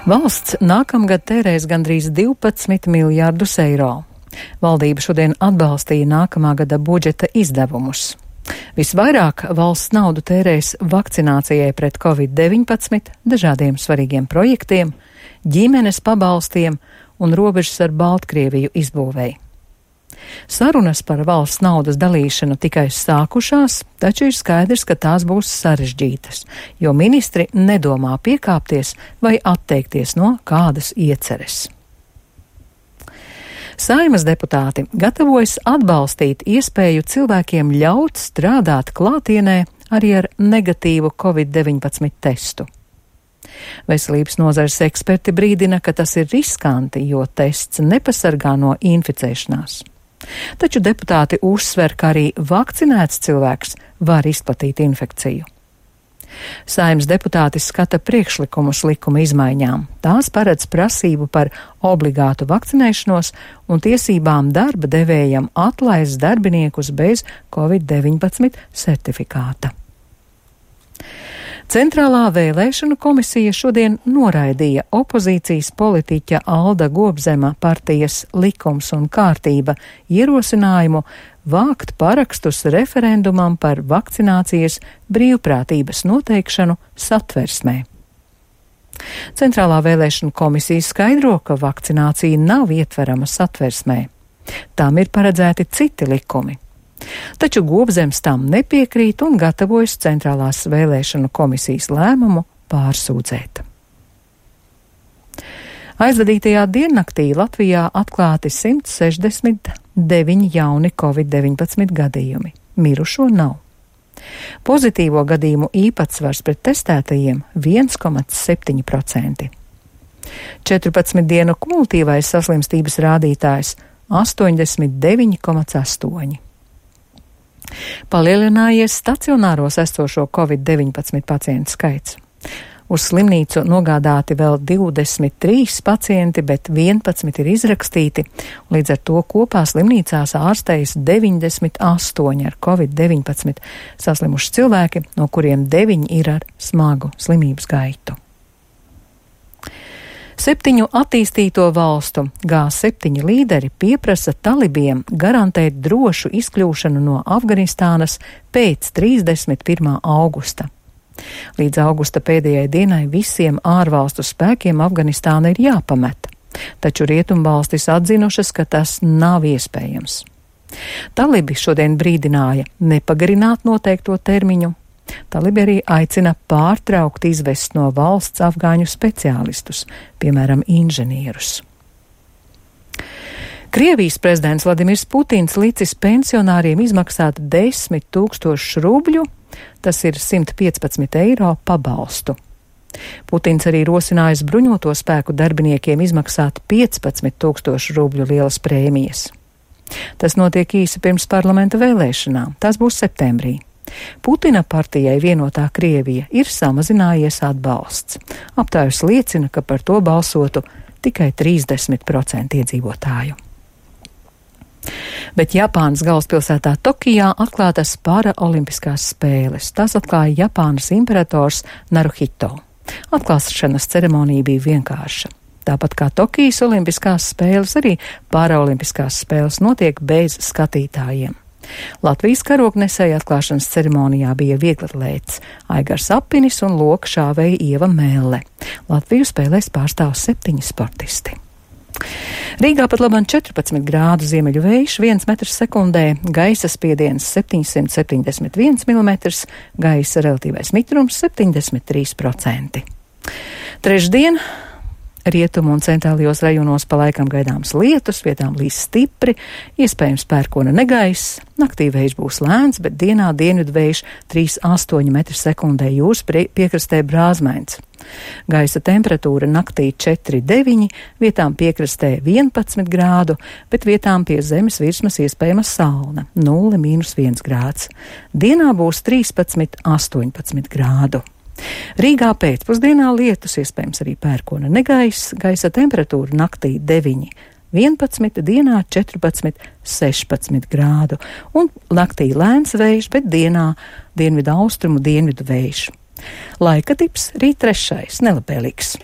Valsts nākamgad tērēs gandrīz 12 miljārdus eiro. Valdība šodien atbalstīja nākamā gada budžeta izdevumus. Visvairāk valsts naudu tērēs vakcinācijai pret Covid-19, dažādiem svarīgiem projektiem, ģimenes pabalstiem un robežas ar Baltkrieviju izbūvēi. Sarunas par valsts naudas dalīšanu tikai sākušās, taču ir skaidrs, ka tās būs sarežģītas, jo ministri nedomā piekāpties vai atteikties no kādas ieceres. Saeimas deputāti gatavojas atbalstīt iespēju cilvēkiem ļaut strādāt klātienē arī ar negatīvu Covid-19 testu. Veselības nozares eksperti brīdina, ka tas ir riskanti, jo tests nepasargā no inficēšanās. Taču deputāti uzsver, ka arī vakcinēts cilvēks var izplatīt infekciju. Saeimas deputāti skata priekšlikumus likuma izmaiņām. Tās paredz prasību par obligātu vakcinēšanos un tiesībām darba devējam atlaist darbiniekus bez Covid-19 certifikāta. Centrālā vēlēšanu komisija šodien noraidīja opozīcijas politiķa Alda Gobzema partijas Likums un kārtība ierosinājumu vākt parakstus referendumam par vakcinācijas brīvprātības noteikšanu Satversmē. Centrālā vēlēšanu komisija skaidro, ka vakcinācija nav ietverama Satversmē. Tām ir paredzēti citi likumi. Taču Gobzems tam nepiekrīt un gatavojas Centrālās vēlēšanu komisijas lēmumu pārsūdzēt. Aizvadītajā diennaktī Latvijā atklāti 169 jauni Covid-19 gadījumi. Mirušo nav. Pozitīvo gadījumu īpatsvars pret testētajiem 1,7%. 14 dienu kumulatīvais saslimstības rādītājs 89,8%. Palielinājies stacionāros esošo Covid-19 pacientu skaits. Uz slimnīcu nogādāti vēl 23 pacienti, bet 11 ir izrakstīti. Līdz ar to kopā slimnīcās ārstējas 98 ar Covid-19 saslimuši cilvēki, no kuriem 9 ir ar smagu slimības gaitu. 7 attīstīto valstu G7 līderi pieprasa talibiem garantēt drošu izkļūšanu no Afganistānas pēc 31. augusta. Līdz augusta pēdējai dienai visiem ārvalstu spēkiem Afganistāna ir jāpamet, taču rietumvalstis atzinušas, ka tas nav iespējams. Talibi šodien brīdināja nepagarināt noteikto termiņu. Talibi arī aicina pārtraukt izvest no valsts afgāņu speciālistus, piemēram, inženierus. Krievijas prezidents Vladimirs Putins licis pensionāriem izmaksāt 10 000 rubļu, tas ir 115 eiro pabalstu. Putins arī rosinājis bruņoto spēku darbiniekiem izmaksāt 15 000 rubļu lielas prēmijas. Tas notiek īsi pirms parlamenta vēlēšanām, tās būs septembrī. Putina partijai Vienotā Krievija ir samazinājies atbalsts. Aptaujas liecina, ka par to balsotu tikai 30% iedzīvotāju. Bet Japānas galvaspilsētā Tokijā atklātas paraolimpiskās spēles. Tās atklāja Japānas imperators Naruhito. Atklāšanas ceremonija bija vienkārša. Tāpat kā Tokijas olimpiskās spēles, arī paraolimpiskās spēles notiek bez skatītājiem. Latvijas karognesēja atklāšanas ceremonijā bija vieglatlēts Aigars Apinis un loka šāvēja Ieva Mēlle. Latviju spēlēs pārstāv 7 sportisti. Rīgā pat labam 14 grādu ziemeļu vējš, 1 metrs sekundē, gaisa spiediens 771 mm, gaisa relatīvais mitrums 73%. Trešdien rietumu un centrālajos rajonos pa laikam gaidāms lietus, vietām līs stipri, iespējams pērkona negaiss, naktī vējš būs lēns, bet dienā dienvidu vējš 3,8 metri sekundē, jūras piekrastē brāzmains. Gaisa temperatūra naktī 4,9, vietām piekrastē 11 grādu, bet vietām pie zemes virsmas iespējama salna 0,-1 grāds. Dienā būs 13,18 grādu. Rīgā pēcpusdienā lietus, iespējams arī pērkona negaiss, gaisa temperatūra naktī 9,11, dienā 14,16 grādu, un naktī lēns vējš, bet dienā dienvidu austrumu dienvidu vējš. Laika tips rīt 3. nelabēlīgs.